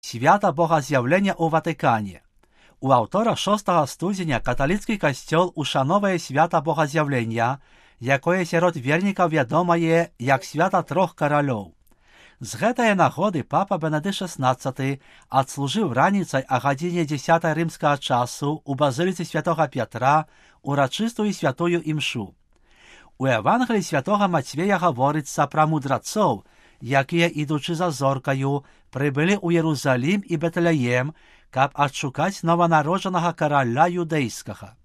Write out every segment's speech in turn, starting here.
Свята Богаз'явлення у Ватикані. У аўтора 6 студзеня каталіцкі касцёл ушановае свята Богаз'явлення, якое сярод вернікаў вядомае як свята трох каралёў. З гэтай нагоды папа Бенедыкт XVI адслужыў раніцай о гадзіне 10 рымскага часу у базыліцы святога Пятра урачыстую святую імшу. У Евангелії святога Мацвея гаворыцца пра мудрацоў, якія, ідучы за зоркаю, прыбылі ў Єрусалім і Бетлеем, каб адшукаць нованароджанага караля юдэйскага.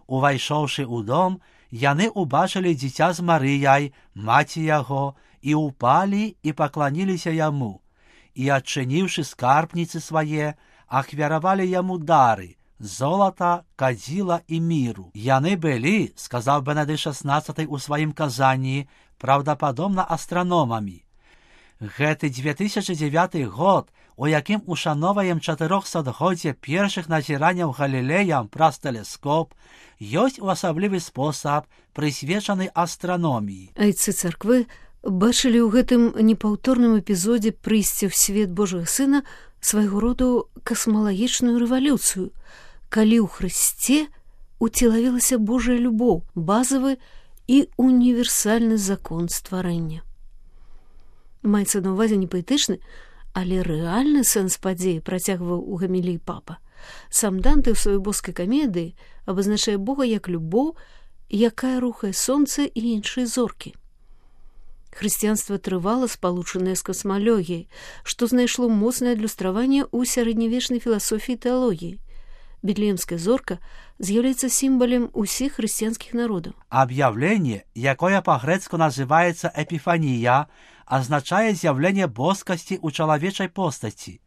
Увайшоўшы ў дом, яны ўбачылі дзіця з Марыяй, маці яго, і упалі і пакланіліся яму, і, адчыніўшы скарбніцы свае, ахвяравалі яму дары, золата, кадзіла і міру. Яны былі, сказаў Бенедыкт XVI у сваім казанні, праўдападобна астраномамі. Гэты 2009 год, у якім ушановаем 400-годдзе першых назіранняў Галілеям праз тэлескоп, ёсць у асаблівы спосаб прысвечаны астраноміі. Айцы царквы бачылі ў гэтым непаўторным эпізодзе прыйсця ў свет Божага Сына свайго роду касмалагічную рэвалюцыю, калі ў Хрысце уцелавілася Божая любоў, базавы і універсальны закон стварэння. Маецца на ўвазе не паэтычны, але рэальны сэнс падзеі, працягваў у гаміліі папа. Сам Данте ў сваёй боскай камедыі абазначае Бога як любоў, якая рухае сонца і іншыя зоркі. Хрысціянства трывала спалучанае з касмалогіяй, што знайшло моцнае адлюстраванне ў сярэднявечнай філасофіі і тэалогіі. Бетлеемская зорка з'яўляецца сімвалем усіх хрысціянскіх народаў. Аб'яўленне, якое па-грэцку называецца эпіфанія, азначае з'яўленне боскасці ў чалавечай постаці.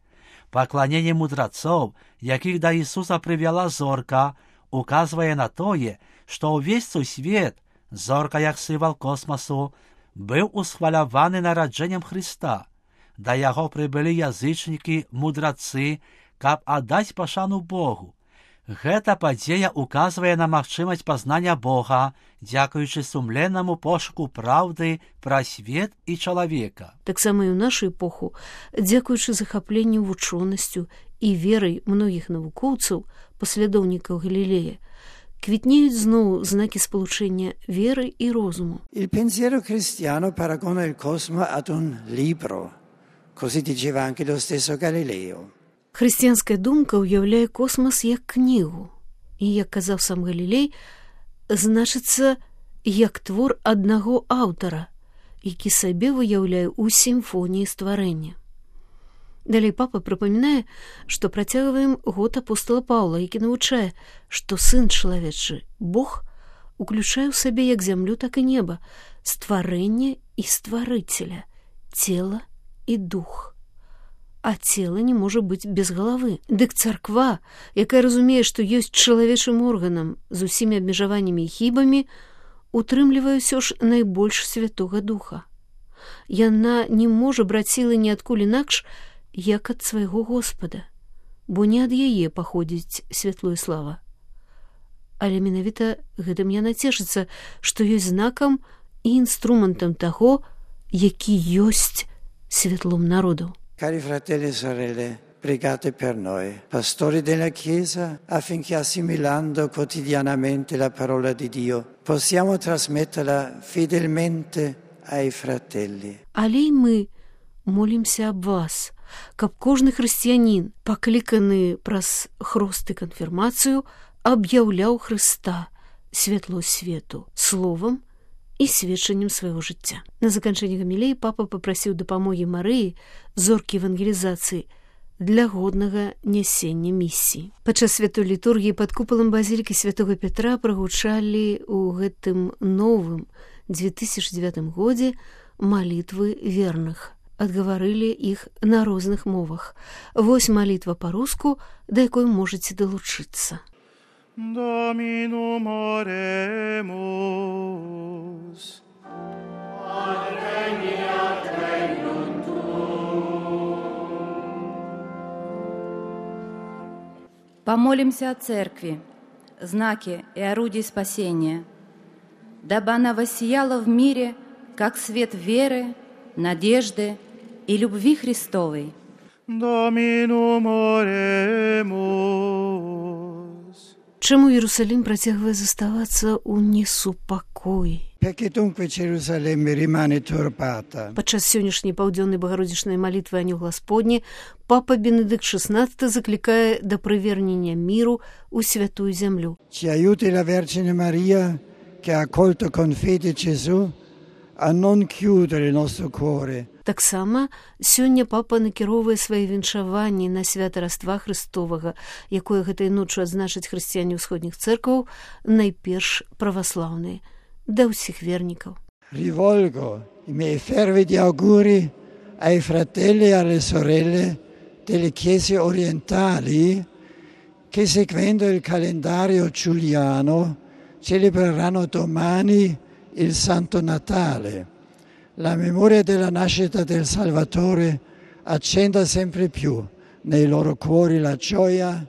Пакланенне мудрацоў, якіх да Ісуса прывяла зорка, указвае на тое, што ўвесь сусвет, зорка як сімвал космасу, быў усхваляваны нараджэннем Хрыста. Да яго прыбылі язычнікі, мудрацы, каб аддаць пашану Богу. Гэта падзея указвае на магчымасць пазнання Бога, дзякуючы сумленнаму пошуку праўды пра свет і чалавека. Таксама і ў нашу эпоху, дзякуючы захапленню вучонасцю і верай многіх навукоўцаў, паслядоўнікаў Галілея, квітнеюць зноў знакі спалучэння веры і розуму. Il pensiero cristiano paragona il cosmo ad un libro, così diceva anche lo stesso Galileo. Хрысціянская думка ўяўляе космас як кнігу, і, як казаў сам Галілей, значыцца як твор аднаго аўтара, які сабе выяўляе ў сімфоніі стварэння. Далей папа прыпамінае, што працягваем год апостола Паўла, які навучае, што сын чалавечы, Бог, уключае ў сабе як зямлю, так і неба, стварэнне і стварыцеля, цела і дух. А цела не можа быць без галавы. Дык царква, якая разумее, што ёсць чалавечым органам з усімі абмежаваннямі і хібамі, утрымлівае ўсё ж найбольш святога духа. Яна не можа браць сілы ніадкуль інакш, як ад свайго Господа, бо не ад яе паходзіць святло і слава. Але менавіта гэтым яна цешыцца, што ёсць знакам і інструментам таго, які ёсць святлом народу. Cari fratelli e sorelle, pregate per noi, pastori della Chiesa, affinché assimilando quotidianamente la parola di Dio, possiamo trasmetterla fedelmente ai fratelli. Але й мы молімся аб вас, каб кожны хрысціянін, пакліканы праз хрост і канфірмацыю, аб'яўляў Хрыста, святло свету, словам і сведчаннем свайго жыцця. На заканчэнне гамілеі папа папрасіў дапамогі Марыі, зоркі евангелізацыі, для годнага нясення місіі. Падчас святой літургіі пад купалам базілікі святога Пятра прагучалі ў гэтым новым 2009 годзе малітвы верных. Адгаварылі іх на розных мовах. Вось малітва па-руску, да якой можаце далучыцца. Dominum oremus. Adveniat regnum tuum. Помолимся о Церкви, знаке и орудии спасения, дабы она воссияла в мире, как свет веры, надежды и любви Христовой. Dominum oremus. Чаму Єрусалім працягвае заставацца ў несупакоі? Perché dunque Gerusalemme rimane turbata? Падчас сённяшняй паўдзённай багародзічнай малітвы Анёл Гасподні папа Бенедыкт XVI заклікае да прывернення міру ў святую зямлю. Ci aiuti la Vergine Maria che ha accolto con fede Gesù a non chiudere il nostro cuore. Таксама сёння папа накіроўвае свае віншаванні на свята Раства Христовага, якое гэтай ноччу адзначаць хрысціяне ўсходніх цэркваў, найперш праваслаўныя, да ўсіх вернікаў. Rivolgo i miei fervidi auguri ai fratelli e alle sorelle delle chiese orientali che, seguendo il calendario giuliano, celebreranno domani il Santo Natale. La memoria della nascita del Salvatore accenda sempre più nei loro cuori la gioia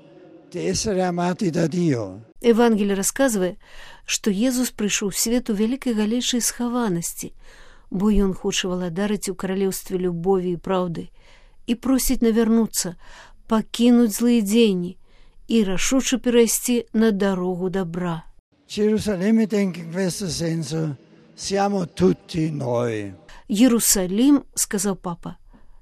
di essere amati da Dio. Евангелие расказвае, што Езус прыйшоў у свет у вялікай галейшай схаванасці, бо ён хоча валадарыць у каралеўстве любові і праўды і просіць навярнуцца, пакінуць злыя дзеянні і рашуча перайсці на дарогу добра. Gerusalemme, denke in questo senso, siamo tutti noi. Єрусалім, сказаў папа,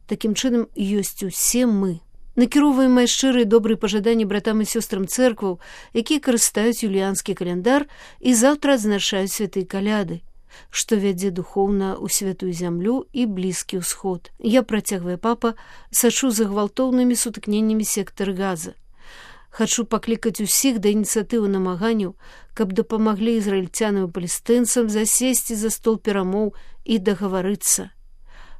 такім чынам ёсць усе мы. Накіроўваем мае шчырыя добрыя пажаданні братам і сёстрам цэркваў, якія карыстаюць юліанскі каляндар і заўтра адзначаюць святыя каляды, што вядзе духоўна ў святую зямлю і блізкі ўсход. Я, працягвае папа, сачу за гвалтоўнымі сутыкненнямі сектар Газа. Хачу паклікаць усіх да ініцыятывы намаганняў, каб дапамаглі ізраільцянам і палестынцам засесці за стол перамоў і дагаварыцца.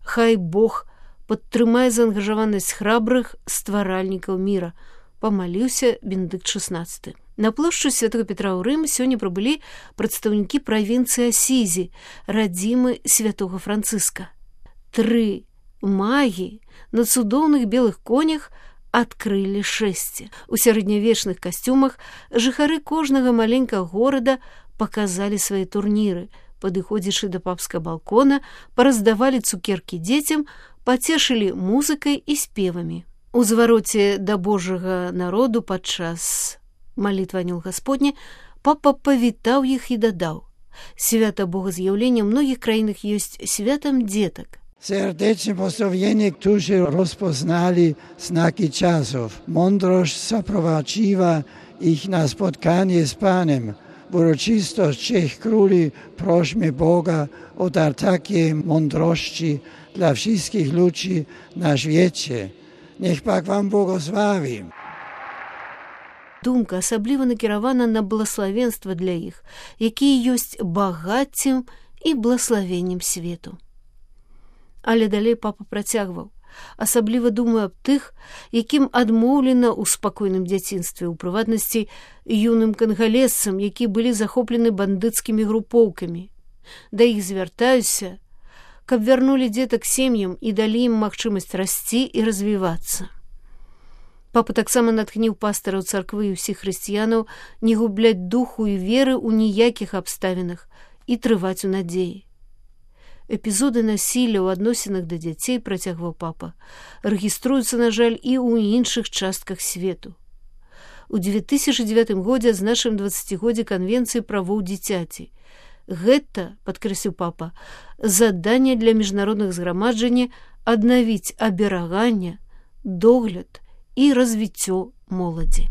Хай Бог падтрымае заангажаванасць храбрых стваральнікаў міра, памаліўся Бенедыкт XVI. На плошчу Святого Петра ў Рым сёння прыбылі прадстаўнікі правінцыі Асізі, радзімы святога Францыска. 3 магі на цудоўных белых конях адкрылі шэсце. У сярэднявечных касцюмах жыхары кожнага маленькага горада паказалі свае турніры, падыходзячы да папскага балкона, параздавалі цукеркі дзецям, пацешылі музыкай і спевамі. У звароце да Божага народу падчас малітвы Анёл Гасподні папа павітаў іх і дадаў: свята Богаз'яўлення ў многіх краінах ёсць святам дзетак. Serdeczne pozdrowienie, którzy rozpoznali znaki czasów. Mądrość zaprowadziła ich na spotkanie z Panem. W uroczystość 3 króli prośmy Boga o dar takiej mądrości dla wszystkich ludzi na świecie. Niech Pan wam błogosławi. Думка асабліва накіравана на благаславенства для іх, якія ёсць багаццем і благаславеннем свету. Але далей папа працягваў: асабліва думаю аб тых, якім адмоўлена ў спакойным дзяцінстве, у прыватнасці юным кангалесцам, якія былі захоплены бандыцкімі групоўкамі. Да іх звяртаюся, каб вярнулі дзетак сем'ям і далі ім магчымасць расці і развівацца. Папа таксама натхніў пастараў царквы і ўсіх хрысціянаў не губляць духу і веры ў ніякіх абставінах і трываць у надзеі. Эпізоды насілля ў адносінах да дзяцей, працягваў папа, рэгіструюцца, на жаль, і ў іншых частках свету. У 2009 годзе адзначым 20годзе Канвенцыі правоў дзіцяці. Гэта, падкрэсліў папа, заданне для міжнародных зграмаджання аднавіць абераганне, догляд і развіццё моладзі.